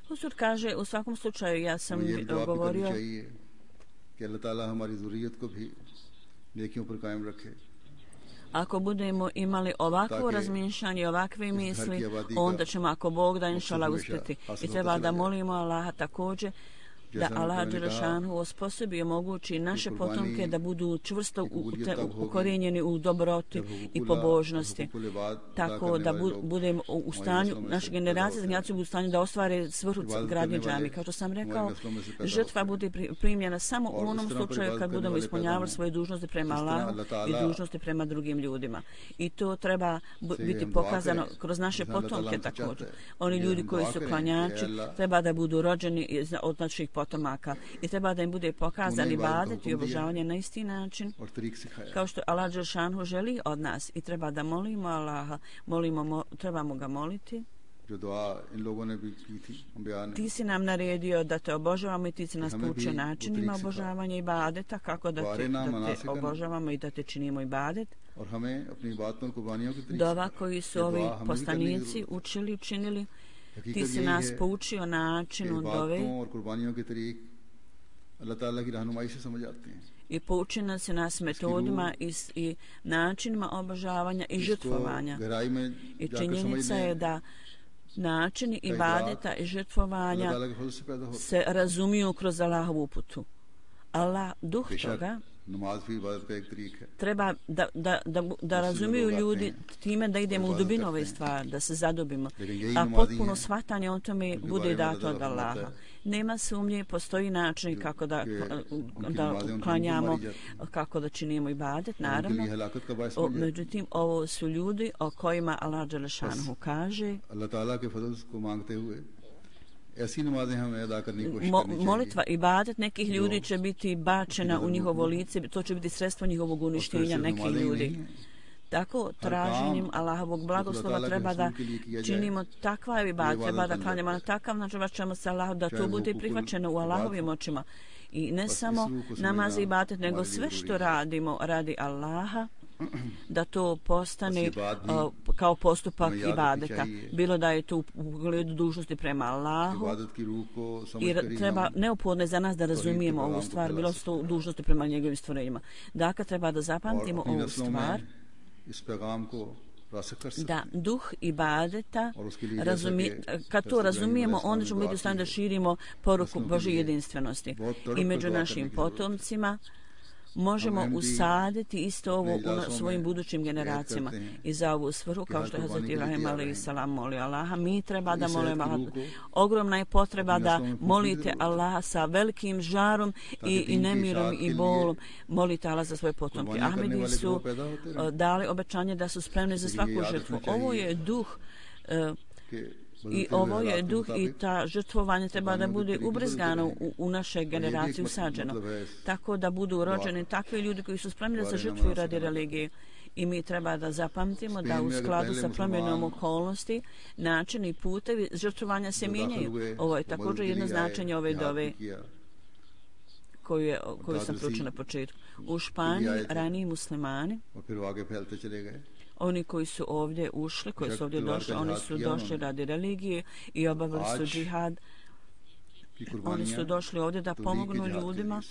Huzur kaže, u svakom slučaju ja sam govorio ako budemo imali ovakvo razmišljanje, ovakve misli, onda ćemo, ako Bog da, inšallah, uspjeti. I treba da molimo Allaha također da Allah Đelešanu osposobi i omogući naše potomke da budu čvrsto ukorijenjeni u dobroti i pobožnosti, tako da bu, budemo u stanju, naše generacije generacije budu u stanju da ostvare svrhu gradnje džamije. Kao što sam rekao, žrtva bude primljena samo u onom slučaju kad budemo ispunjavali svoje dužnosti prema Allahu i dužnosti prema drugim ljudima. I to treba biti pokazano kroz naše potomke također. Oni ljudi koji su klanjači treba da budu rođeni od naših potomaka i treba da im bude pokazan ibadet i obožavanje na isti način kao što Allah Đelešanu želi od nas i treba da molimo Allaha, molimo, mo, trebamo ga moliti. Ti si nam naredio da te obožavamo i ti si nas poučio načinima obožavanja ibadeta, kako da te, da te obožavamo i da te činimo ibadet. Dova koji su ovi poslanici učili, učinili, ti si nas poučio načinu dove i pouči nas nas metodima i, i načinima obožavanja i žrtvovanja. I činjenica je da načini ibadeta i žrtvovanja se razumiju kroz Allahovu uputu. Allah, duh toga, treba da, da, da, da razumiju ljudi time da idemo u dubinu ove stvari, da se zadobimo, a potpuno shvatanje o tome bude dato od Allaha. Nema sumnje, postoji način kako da, da klanjamo, kako da činimo ibadet, naravno. O, međutim, ovo su ljudi o kojima Allah Đelešanu kaže Mo, molitva i ibadet nekih ljudi će biti bačena u njihovo lice, to će biti sredstvo njihovog uništenja nekih ljudi. Tako traženjem Allahovog blagoslova treba da činimo takva ibadet, treba da klanjamo na takav način, ćemo se Allahu da to bude prihvaćeno u Allahovim očima. I ne samo namaz i ibadet, nego sve što radimo radi Allaha, da to postane uh, kao postupak ibadeta, bilo da je to u pogledu dužnosti prema Allahu i treba neophodno je za nas da razumijemo ovu stvar, bilo su to dužnosti prema njegovim stvorenjima. Dakle, treba da zapamtimo ovu stvar, da duh ibadeta razumi, kad to razumijemo, onda ćemo biti u stanju da širimo poruku Božje jedinstvenosti i među našim potomcima možemo usaditi isto ovo u svojim budućim generacijama. I za ovu svrhu, kao što je Hazreti Ibrahim alejhi selam molio Allaha, mi treba da molimo Allaha. Ogromna je potreba da molite Allaha sa velikim žarom i, i nemirom i bolom. Molite Allaha za svoje potomke. Ahmedi su dali obećanje da su spremni za svaku žrtvu. Ovo je duh uh, I ovo je duh i ta žrtvovanje treba da bude ubrizgano u, u naše generacije usađeno. Tako da budu rođeni takvi ljudi koji su spremni da se žrtvuju radi religije. I mi treba da zapamtimo da u skladu sa promjenom okolnosti način i putevi žrtvovanja se mijenjaju. Ovo je također jedno značenje ove dove koju, je, koju sam proučila na početku. U Španiji raniji muslimani, oni koji su ovdje ušli, koji su ovdje došli, oni su došli radi religije i obavili su džihad. Oni su došli ovdje da pomognu ljudima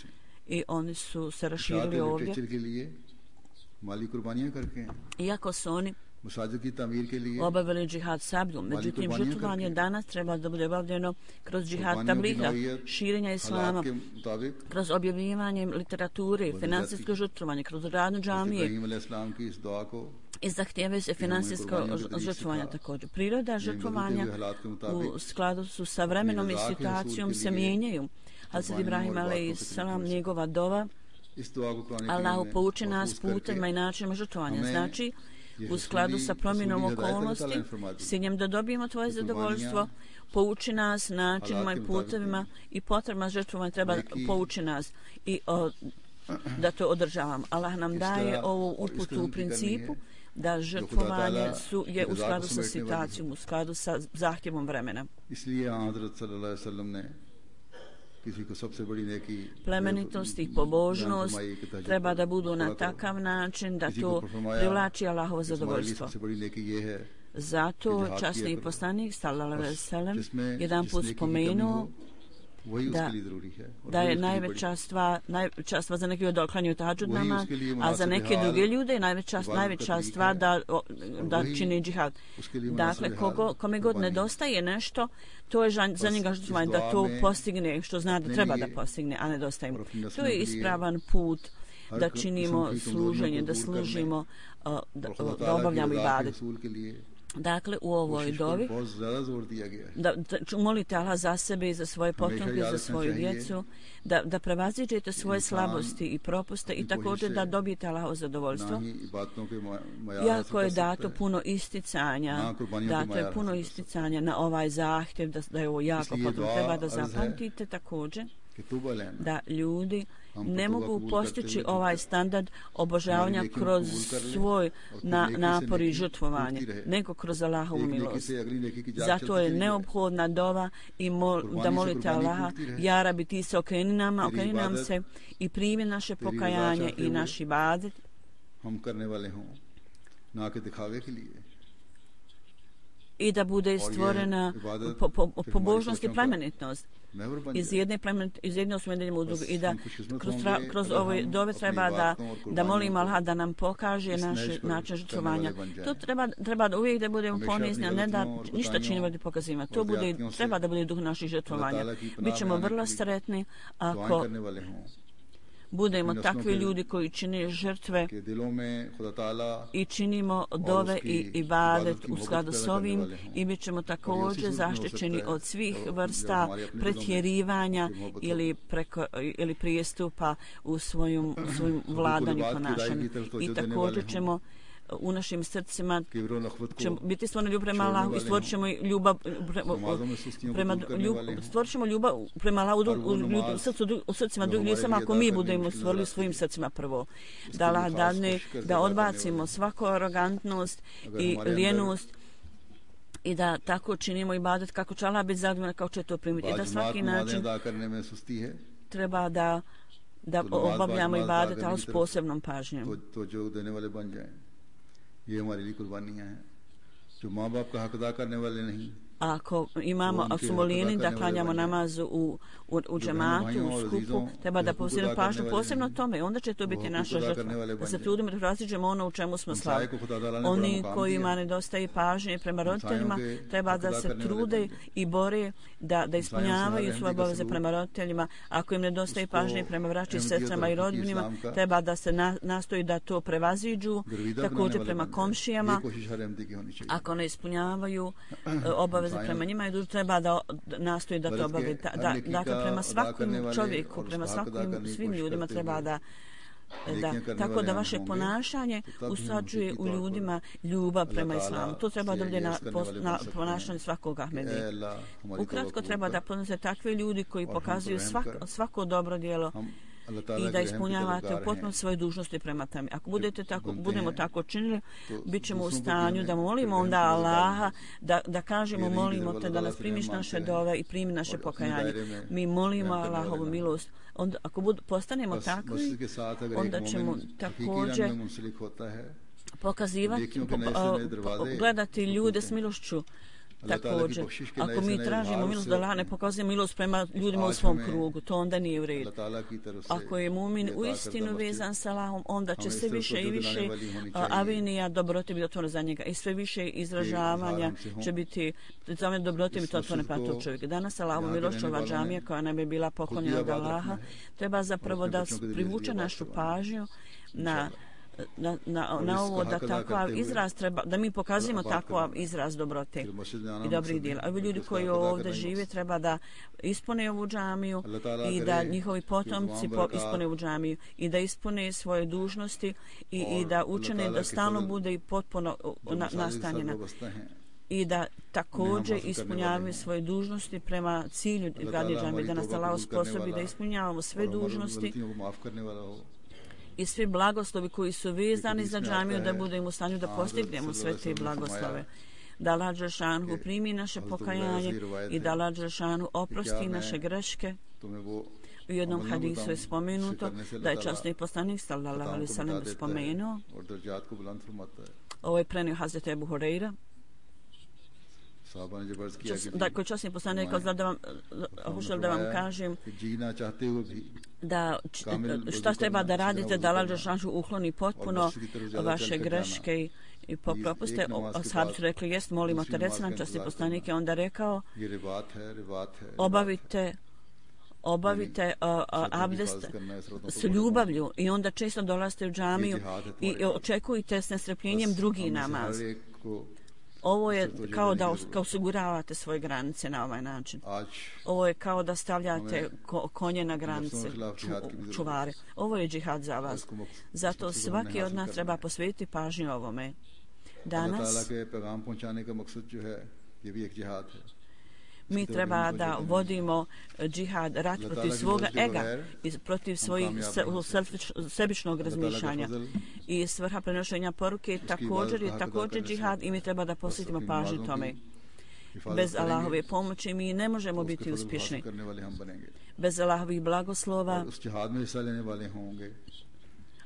i oni su se raširili ovdje. Iako su oni obavili džihad sabljom, međutim žrtvovanje danas treba da bude obavljeno kroz džihad tabliha, širenja islama, kroz objavljivanje literature, finansijsko žrtvovanje, kroz radnu džamije i zahtijevaju se finansijsko žrtvovanje također. Priroda žrtvovanja u skladu su sa vremenom i situacijom se mijenjaju. Hazret Ibrahim alejhi selam, njegova dova, Allahu pouči nas putima i načinima žrtvovanja. Znači, u skladu sa promjenom okolnosti, s ciljem da dobijemo tvoje zadovoljstvo, pouči nas načinima i putevima i potrebama žrtvovanja treba pouči nas i o, da to održavamo. Allah nam daje ovu uputu u principu da žrtvovanje su, je u skladu sa situacijom, u skladu sa zahtjevom vremena. Plemenitost i pobožnost treba da budu na takav način da to privlači Allahovo zadovoljstvo. Zato časni poslanik sallallahu alejhi ve sellem jedan put spomenuo da, da je najveća stvar, najveća stvar za neke da oklanjaju tahadžud namaz, a za neke druge ljude je najveća, najveća stvar da, da čini džihad. Dakle, kogo, kome god nedostaje nešto, to je za njega žrtvovanje, da to postigne što zna da treba da postigne, a nedostaje mu. To je ispravan put da činimo služenje, da služimo, da, da obavljamo ibadet. Dakle, u ovoj dovi da, da molite Allah za sebe i za svoje potomke, za svoju djecu, da, da prevaziđete svoje slabosti i propuste i također da dobijete Allahovo zadovoljstvo. Jako je dato puno isticanja, dato je puno isticanja na ovaj zahtjev, da, da je ovo jako potrebno. Treba da zapamtite također da ljudi ne mogu postići ovaj standard obožavanja kroz svoj na, napor i žrtvovanje, nego kroz Allahovu milost. Zato je neophodna dova i mol, da molite Allaha, ja Rabi, ti se okreni nama, okreni nam se i primi naše pokajanje i naš ibadet. I da bude stvorena po, po, pobožnost i plemenitnost iz jedne plemenit, iz jedne osmedenjima u drugu i da kroz, tra, kroz ove dove treba da, da molim Allah da nam pokaže naš način žrtvovanja. To treba, treba da uvijek da budemo ponizni, a ne da ništa činimo da pokazimo. To bude, treba da bude duh naših žrtvovanja. Bićemo vrlo sretni ako budemo takvi ljudi koji čine žrtve i činimo dove i ibadet u skladu s ovim i bit ćemo također zaštićeni od svih vrsta pretjerivanja ili, preko, ili prijestupa u svojom, svojom vladanju ponašanju. I također ćemo u našim srcima ćemo biti stvoreni ljubav prema Allahu i stvorit ćemo ljubav prema stvorit ćemo ljubav prema Allahu u, u, srcu, u srcima drugih ljudi, samo ako mi budemo stvorili svojim srcima prvo. Da Allah dadne da odbacimo svaku arogantnost i lijenost i da tako činimo ibadet kako će Allah biti zadovoljan, kako će to primiti. I da svaki način treba da da obavljamo ibadet, ali s posebnom pažnjom. ये हमारे लिए कुर्बानियां हैं जो माँ बाप का हक अदा करने वाले नहीं. Ako imamo, ako smo lijeni da klanjamo namazu u, u, u džematu, u skupu, treba da posebno pažnju posebno tome, onda će to biti naša žrtva. Da se trudimo da različimo ono u čemu smo slabi. Oni kojima nedostaje pažnje prema roditeljima, treba da se trude i bore da, da ispunjavaju svoje obaveze prema roditeljima. Ako im nedostaje pažnje prema braći, sestrama i rodbinima, treba da se na, nastoji da to prevaziđu, također prema komšijama. Ako ne ispunjavaju obaveze prema njima i treba da nastoji da to obavi. Da, da, dakle, prema svakom čovjeku, prema svakom svim ljudima treba da Da, tako da vaše ponašanje usađuje u ljudima ljubav prema islamu. To treba da bude na, na ponašanje svakog Ahmedije. Ukratko treba da poznate takve ljudi koji pokazuju svako, svako dobro djelo i da ispunjavate u potpuno svoje dužnosti prema tome. Ako budete tako, budemo tako činili, bit ćemo u stanju da molimo onda Allaha, da, da kažemo molimo te da nas primiš naše dove i primi naše pokajanje. Mi molimo Allahovu milost. Onda, ako bud, postanemo takvi, onda ćemo također pokazivati, po, po, gledati ljude s milošću. Također, ako mi tražimo milost da Allah ne pokazuje milost prema ljudima u svom krugu, to onda nije u redu. Ako je mumin u istinu vezan sa Allahom, onda će sve više i više avenija dobrote biti otvorene za njega i sve više izražavanja će biti za mene dobrote biti otvorene pa tog čovjeka. Danas Allahovu milošću ova džamija koja nam je bila poklonjena od Allaha treba zapravo da privuče našu pažnju na Na, na, na ovo da takav izraz treba, da mi pokazujemo takav izraz dobrote i dobrih djela. Ovi ljudi koji ovdje žive treba da ispune ovu džamiju i da njihovi potomci po, ispune ovu džamiju i da ispune svoje dužnosti i, i da učene da stalno bude i potpuno na, nastanjena i da također ispunjavaju svoje dužnosti prema cilju gradnje džamije, da nas Allah sposobi da ispunjavamo sve dužnosti i svi blagoslovi koji su vezani za džamiju, da budemo u stanju da postignemo sve te blagoslove. Da Allah Đelešanu primi naše pokajanje i da Allah Đelešanu oprosti naše greške. U jednom hadisu je spomenuto da je časni poslanik sallallahu alejhi ve sellem spomenuo, ovo je prenio Hazreti Ebu Hurajra, da koji časni poslanik rekao da vam hoću da vam kažem da šta treba da radite da Allah dželešanu ukloni potpuno vaše greške i propuste. Ashabi su rekli jest, molimo te, reci nam. Časni poslanik je onda rekao obavite obavite uh, uh, abdest s ljubavlju i onda često dolazite u džamiju i očekujte s nestrpljenjem drugi namaz. Ovo je kao da osiguravate svoje granice na ovaj način. Ovo je kao da stavljate ko, konje na granice, ču, čuvare. Ovo je džihad za vas. Zato svaki od nas treba posvetiti pažnju ovome. Danas mi treba da vodimo džihad, rat protiv svoga ega i protiv svojih sebičnog razmišljanja. I svrha prenošenja poruke također je također džihad i mi treba da posvetimo pažnju tome. Bez Allahove pomoći mi ne možemo biti uspješni. Bez Allahovih blagoslova,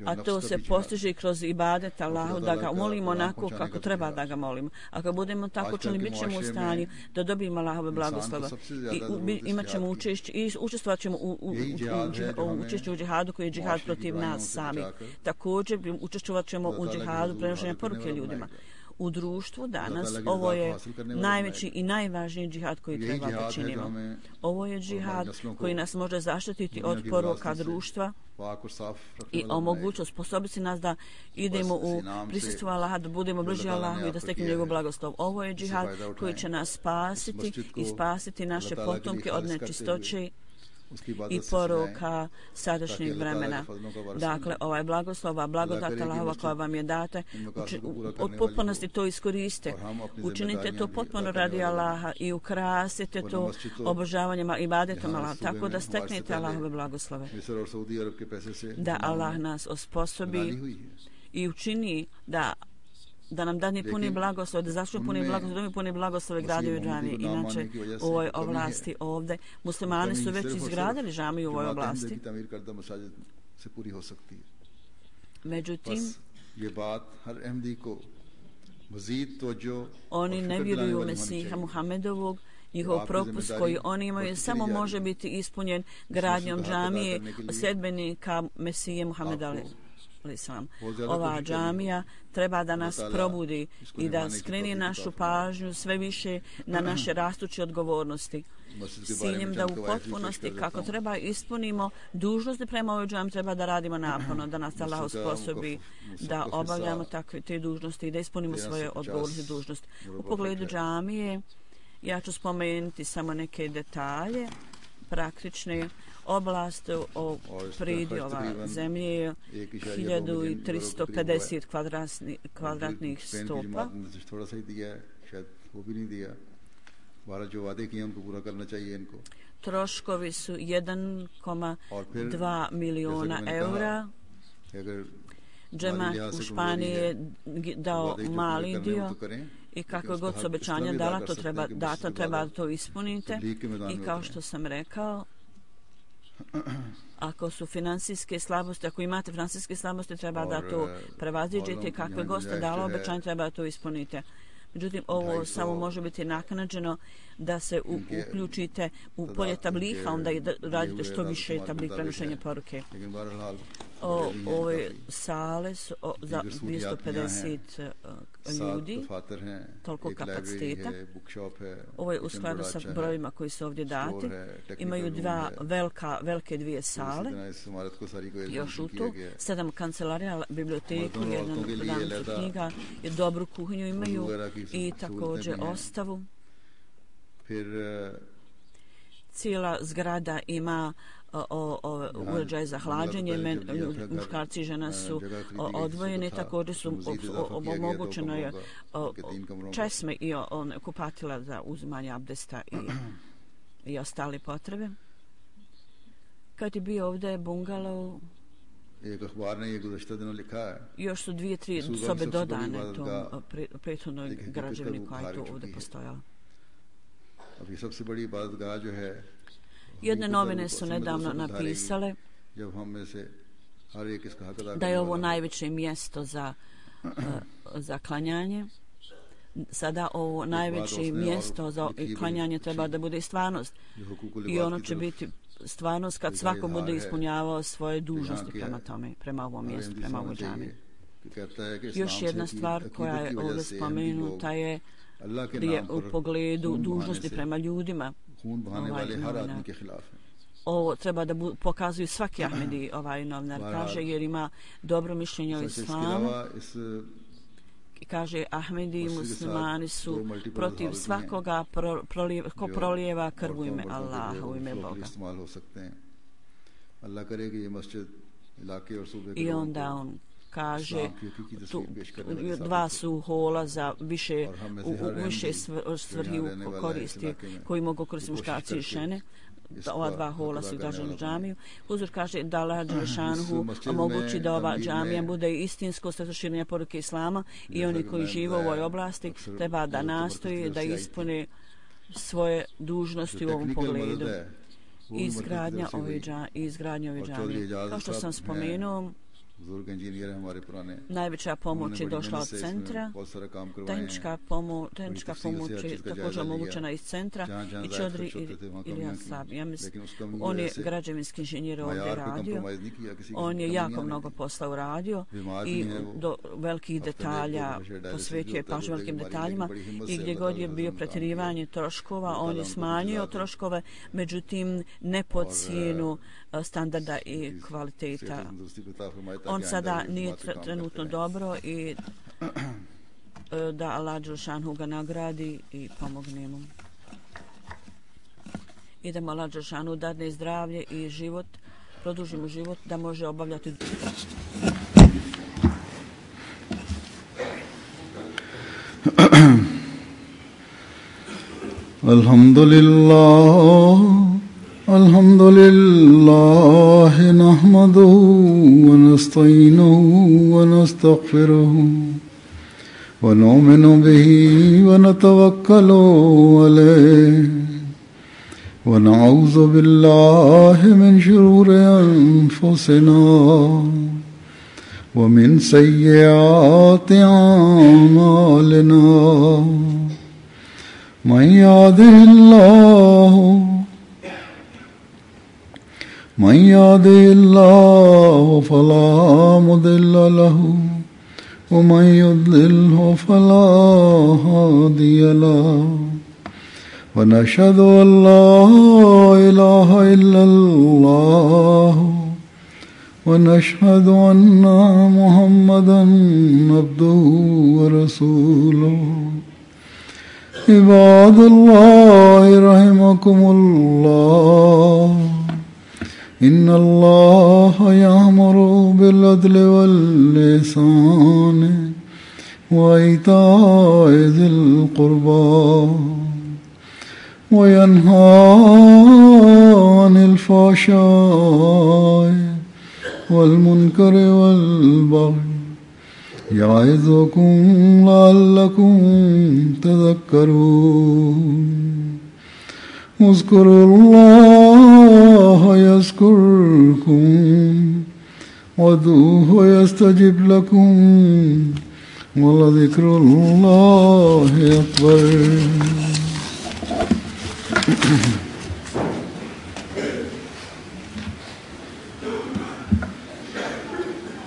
a to se postiže kroz ibadet Allahu, da ga molimo onako kako treba da ga molimo. Ako budemo tako čini, bit ćemo u stanju da dobijemo Allahove blagoslova i imat ćemo učešće i učestvovat ćemo u, u, u, u učešću u džihadu koji je džihad protiv nas sami. Također učestvovat ćemo u džihadu prenošenja poruke ljudima. U društvu danas ovo je najveći i najvažniji džihad koji treba da činimo. Ovo je džihad koji nas može zaštititi od poruka društva i omogući, sposobiti nas da idemo u prisustvu Allaha, da budemo bliži Allahu i da steknemo njegov blagoslov. Ovo je džihad koji će nas spasiti i spasiti naše potomke od nečistoće i poroka sadašnjeg vremena. Dakle, ovaj blagoslova, blagodat Allahova koja vam je date, od potpunosti to iskoriste. Učinite to potpuno radi Allaha i ukrasite to obožavanjem i ibadetom Allaha, tako da steknete Allahove blagoslove. Da Allah nas osposobi i učini da da nam dani puni blagoslov, da zašto puni blagoslov, da mi puni blagoslove gradio džamije. Inače, u ovoj oblasti ovdje, muslimani su već izgradili džamiju u ovoj oblasti. Međutim, oni ne vjeruju u Mesiha Muhammedovog. Njihov propust koji oni imaju samo može biti ispunjen gradnjom džamije sljedbenika Mesije Muhammeda Islam. Ova džamija treba da nas probudi i da skreni našu pažnju sve više na naše rastuće odgovornosti. S ciljem da u potpunosti kako treba ispunimo dužnosti prema ovoj džamiji, treba da radimo naporno, da nas Allah usposobi da obavljamo takve te dužnosti i da ispunimo svoje odgovornosti dužnosti. U pogledu džamije ja ću spomenuti samo neke detalje praktične. Oblast o pridjova zemlje je hiljadu tristo pedeset kvadratnih stopa. Troškovi su jedan zarez dva miliona eura. Džemat u Španiji je dao mali dio i kako god se obećanja dala, to treba data, treba to ispunite. I kao što sam rekao, ako su finansijske slabosti, ako imate finansijske slabosti, treba da to prevaziđete. Kakve god ste dala obećanje, treba da to ispunite. Međutim, ovo samo može biti naknadženo da se u, uključite u polje tabliha, onda i da radite što više tablik prenošenja poruke. O, ove sale su o, za dvjesto pedeset uh, ljudi, toliko kapaciteta. Ovo je u skladu sa brojima koji su ovdje dati. Imaju dva velika, velike dvije sale, još u to, sedam kancelarija, biblioteku, jednu prodavnicu knjiga, dobru kuhinju imaju i također ostavu. Cijela zgrada ima o, o, uređaj za hlađenje, men, muškarci i žena su o, odvojeni, također su omogućeno je o, česme i o, o, kupatila za uzimanje abdesta i, i ostale potrebe. Kad je bio ovdje bungalov, još su dvije, tri sobe dodane tom prethodnoj građevini koja je tu ovdje postojala. Jedne novine su nedavno napisale da je ovo najveće mjesto za, za klanjanje. sada ovo najveće mjesto za klanjanje treba da bude stvarnost. I ono će biti stvarnost kad svako bude ispunjavao svoje dužnosti prema tome, prema ovom mjestu, prema ovoj džami. Još jedna stvar koja je ovdje spomenuta je, je u pogledu dužnosti prema ljudima. Ovaj novinar. Ovo treba da bu, pokazuju svaki Ahmedi, ovaj novinar kaže, jer ima dobro mišljenje o islamu. Kaže, Ahmedi i muslimani su protiv svakoga pro, prolijeva, ko prolijeva krv u ime Allaha, u ime Boga. I onda on kaže, tu, dva su hola za više, u, u više svrhi koristi koji mogu koristiti muškarci i žene. Ova dva hola su građani džamiju. Huzur kaže da Allah Đelešanhu omogući da ova džamija bude istinsko sredstvo širenja poruke Islama i oni koji žive u ovoj oblasti treba da nastoji da ispune svoje dužnosti u ovom pogledu. Izgradnja ove džamije, izgradnja ove džamije. Kao što sam spomenuo, najveća pomoć je došla od centra, tehnička pomoć, tehnička pomoć je također omogućena iz centra i Čodri ili Ansab. Ja mislim, on je građevinski inženjer ovdje radio, on je jako mnogo posla uradio i do velikih detalja posvetio je pažnju velikim detaljima i gdje god je bio pretjerivanje troškova, on je smanjio troškove, međutim ne pod cijenu standarda i kvaliteta. On sada nije trenutno dobro i da Allah Đelšanhu ga nagradi i pomogne mu. I da mu Allah Đelšanhu dadne zdravlje i život, produži mu život da može obavljati. Alhamdulillah. الحمد لله نحمده ونستعينه ونستغفره ونؤمن به ونتوكل عليه ونعوذ بالله من شرور أنفسنا ومن سيئات أعمالنا من يهده الله من يهده الله فلا مضل له ومن يضلله فلا هادي له ونشهد أن لا إله إلا الله ونشهد أن محمدا عبده ورسوله عباد الله رحمكم الله إن الله يأمر بالعدل والإحسان وإيتاء ذي القربى وينهى عن الفحشاء والمنكر والبغي يعظكم لعلكم تذكرون اذكروا الله يذكركم وادعوه يستجب لكم ولذكر الله أكبر.